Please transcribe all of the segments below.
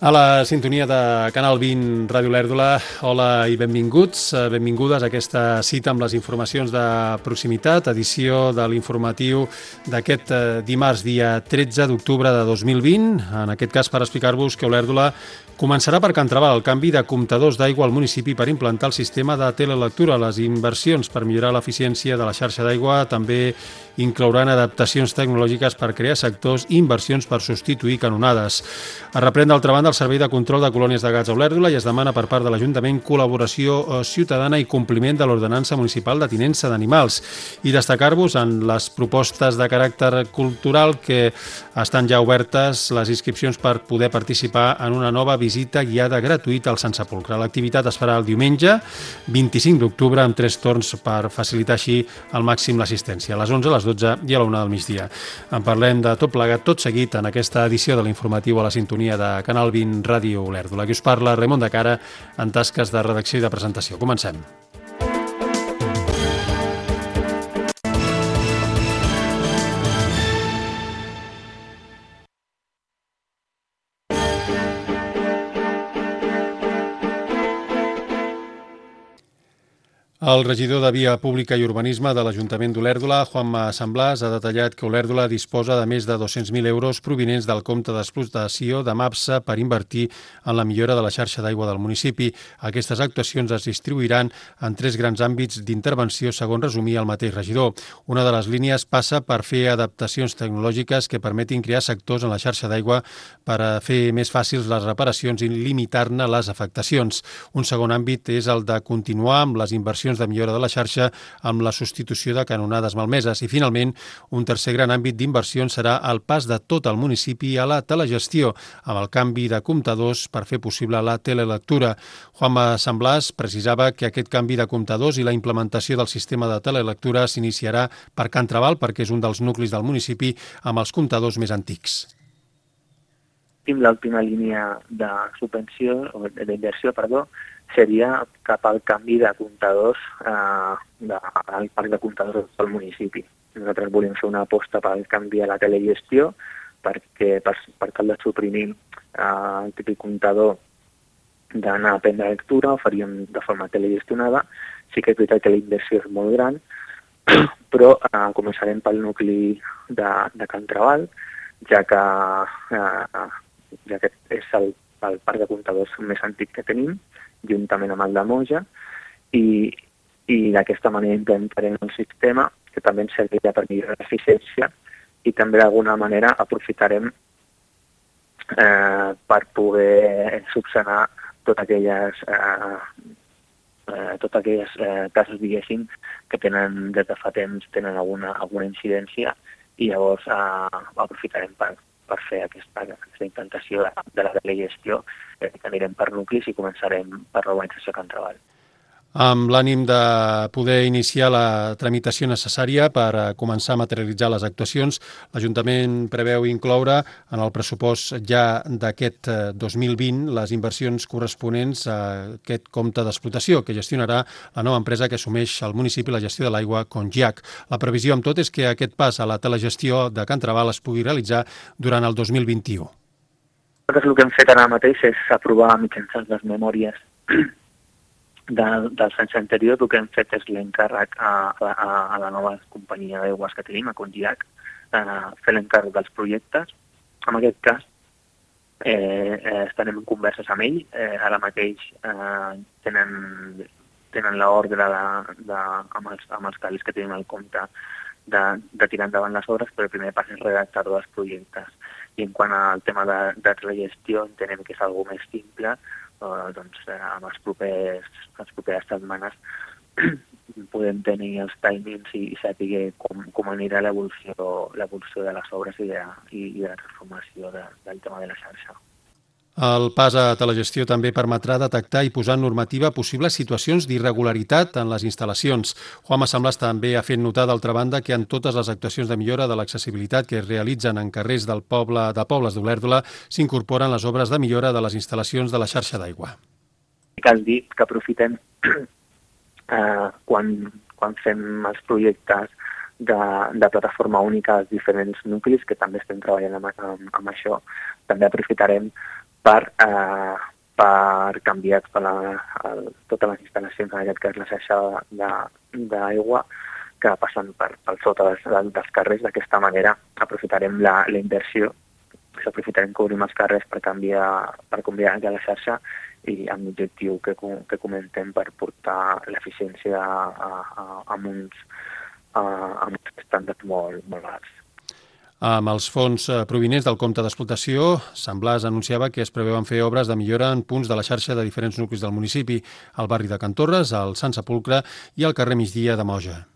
A la sintonia de Canal 20 Ràdio Olèrdola, hola i benvinguts, benvingudes a aquesta cita amb les informacions de proximitat, edició de l'informatiu d'aquest dimarts, dia 13 d'octubre de 2020, en aquest cas per explicar-vos que Olèrdola començarà per Can Trabal el canvi de comptadors d'aigua al municipi per implantar el sistema de telelectura. Les inversions per millorar l'eficiència de la xarxa d'aigua també inclouran adaptacions tecnològiques per crear sectors i inversions per substituir canonades. Es reprèn d'altra banda el Servei de Control de Colònies de Gats a Olèrdola i es demana per part de l'Ajuntament col·laboració ciutadana i compliment de l'ordenança municipal de tinença d'animals. I destacar-vos en les propostes de caràcter cultural que estan ja obertes les inscripcions per poder participar en una nova visita guiada gratuïta al Sant Sepulcre. L'activitat es farà el diumenge 25 d'octubre amb 3 torns per facilitar així al màxim l'assistència, a les 11, a les 12 i a la 1 del migdia. En parlem de tot plegat, tot seguit, en aquesta edició de l'informatiu a la sintonia de Canal 20 Ràdio Olèrdola. Aquí us parla Raimon de Cara en tasques de redacció i de presentació. Comencem. El regidor de Via Pública i Urbanisme de l'Ajuntament d'Olèrdola, Juanma Samblàs, ha detallat que Olèrdola disposa de més de 200.000 euros provinents del compte d'explotació de MAPSA per invertir en la millora de la xarxa d'aigua del municipi. Aquestes actuacions es distribuiran en 3 grans àmbits d'intervenció, segons resumia el mateix regidor. Una de les línies passa per fer adaptacions tecnològiques que permetin crear sectors en la xarxa d'aigua per a fer més fàcils les reparacions i limitar-ne les afectacions. Un segon àmbit és el de continuar amb les inversions de millora de la xarxa amb la substitució de canonades malmeses. I, finalment, un tercer gran àmbit d'inversions serà el pas de tot el municipi a la telegestió, amb el canvi de comptadors per fer possible la telelectura. Juanma Samblàs precisava que aquest canvi de comptadors i la implementació del sistema de telelectura s'iniciarà per Can Trabal, perquè és un dels nuclis del municipi amb els comptadors més antics. L'última línia de subvenció, o d'inversió, seria cap al canvi de comptadors al parc de comptadors del municipi. Nosaltres volem fer una aposta pel canvi a la telegestió perquè per tal de suprimir el típic comptador d'anar a prendre lectura, ho faríem de forma telegestionada. Sí que és veritat que la inversió és molt gran, però començarem pel nucli de Can Trabal, ja que és el parc de comptadors més antic que tenim, juntament amb el de Moja, i d'aquesta manera implementarem un sistema que també ens servirà per millorar l'eficiència i també d'alguna manera aprofitarem per poder subsanar totes aquelles casos, diguéssim, que tenen des de fa temps alguna incidència i llavors aprofitarem per fer aquesta implantació de la telegestió, que anirem per nuclis i començarem per l'urbanització Can Trabal. Amb l'ànim de poder iniciar la tramitació necessària per començar a materialitzar les actuacions, l'Ajuntament preveu incloure en el pressupost ja d'aquest 2020 les inversions corresponents a aquest compte d'explotació que gestionarà la nova empresa que assumeix al municipi la gestió de l'aigua, Congiac. La previsió amb tot és que aquest pas a la telegestió de Can Trabal es pugui realitzar durant el 2021. Nosaltres el que hem fet ara mateix és aprovar mitjançant les memòries del anys anterior. El que hem fet és l'encàrrec a la nova companyia d'aigües que tenim, a Congiac, fer l'encàrrec dels projectes. En aquest cas, estarem en converses amb ell. Ara mateix tenen l'ordre amb els cabals que tenim al compte de tirar endavant les obres, però el primer pas és redactar els projectes. I en quant al tema de la gestió, entenem que és alguna més simple. Doncs amb les properes setmanes podem tenir els timings i saber com anirà l'evolució de les obres i de la transformació del tema de la xarxa. El pas a telegestió també permetrà detectar i posar en normativa possibles situacions d'irregularitat en les instal·lacions. Juanma Samblàs també ha fet notar, d'altra banda, que en totes les actuacions de millora de l'accessibilitat que es realitzen en carrers de pobles d'Olèrdola s'incorporen les obres de millora de les instal·lacions de la xarxa d'aigua. Cal dir que aprofitem quan fem els projectes de plataforma única als diferents nuclis, que també estem treballant amb això. També aprofitarem per canviar totes les instal·lacions, en aquest cas la xarxa d'aigua, que passen per sota dels carrers. D'aquesta manera aprofitarem la inversió, aprofitarem cobrir els carrers per canviar la xarxa i amb l'objectiu que comentem per portar l'eficiència amb uns estàndards molt alts. Amb els fons provinents del compte d'explotació, Sant Blas anunciava que es preveuen fer obres de millora en punts de la xarxa de diferents nuclis del municipi, al barri de Can Torres, al Sant Sepulcre i al carrer Migdia de Moja.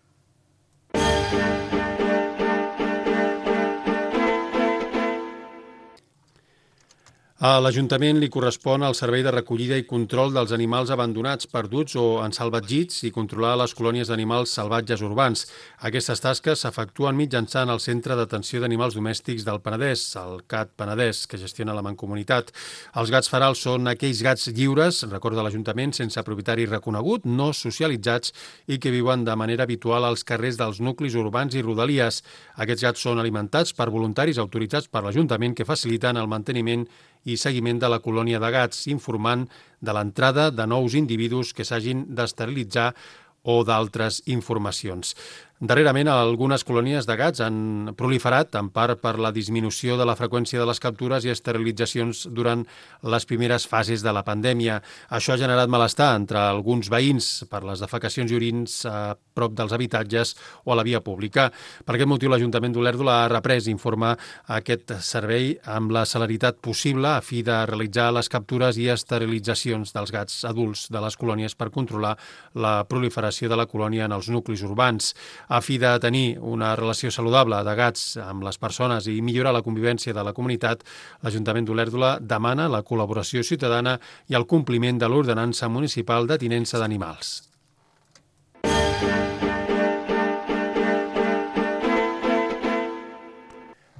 A l'Ajuntament li correspon el servei de recollida i control dels animals abandonats, perduts o ensalvatgits i controlar les colònies d'animals salvatges urbans. Aquestes tasques s'efectuen mitjançant el Centre d'Atenció d'Animals Domèstics del Penedès, el CAT Penedès, que gestiona la Mancomunitat. Els gats ferals són aquells gats lliures, recorda l'Ajuntament, sense propietari reconegut, no socialitzats i que viuen de manera habitual als carrers dels nuclis urbans i rodalies. Aquests gats són alimentats per voluntaris autoritzats per l'Ajuntament que faciliten el manteniment i seguiment de la colònia de gats, informant de l'entrada de nous individus que s'hagin d'esterilitzar o d'altres informacions. Darrerament, algunes colònies de gats han proliferat, en part per la disminució de la freqüència de les captures i esterilitzacions durant les primeres fases de la pandèmia. Això ha generat malestar entre alguns veïns per les defecacions i orins a prop dels habitatges o a la via pública. Per aquest motiu, l'Ajuntament d'Olèrdola ha reprès informar aquest servei amb la celeritat possible a fi de realitzar les captures i esterilitzacions dels gats adults de les colònies per controlar la proliferació de la colònia en els nuclis urbans. A fi de tenir una relació saludable de gats amb les persones i millorar la convivència de la comunitat, l'Ajuntament d'Olèrdola demana la col·laboració ciutadana i el compliment de l'ordenança municipal de tinença d'animals.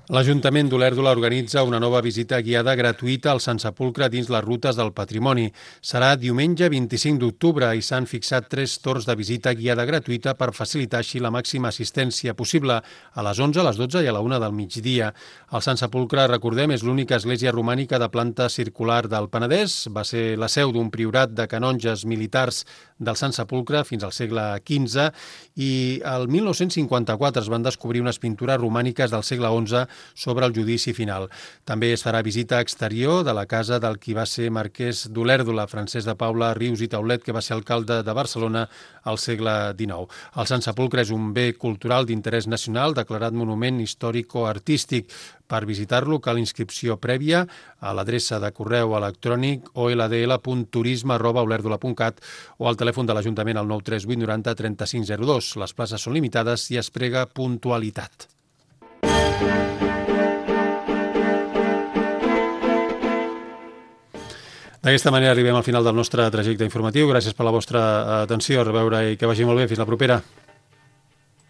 L'Ajuntament d'Olèrdola organitza una nova visita guiada gratuïta al Sant Sepulcre dins les rutes del patrimoni. Serà diumenge 25 d'octubre i s'han fixat 3 torns de visita guiada gratuïta per facilitar així la màxima assistència possible a les 11, a les 12 i a la 1 del migdia. El Sant Sepulcre, recordem, és l'única església romànica de planta circular del Penedès. Va ser la seu d'un priorat de canonges militars del Sant Sepulcre fins al segle XV i el 1954 es van descobrir unes pintures romàniques del segle XI sobre el judici final. També es farà visita exterior de la casa del qui va ser marquès d'Olèrdola, Francesc de Paula Rius i Taulet, que va ser alcalde de Barcelona al segle XIX. El Sant Sepulcre és un bé cultural d'interès nacional declarat monument històrico-artístic. Per visitar-lo cal inscripció prèvia a l'adreça de correu electrònic oldl.turisme@olèrdola.cat o al telèfon de l'Ajuntament al 938 90 3502. Les places són limitades i es prega puntualitat. D'aquesta manera arribem al final del nostre trajecte informatiu. Gràcies per la vostra atenció. A reveure i que vagi molt bé. Fins la propera.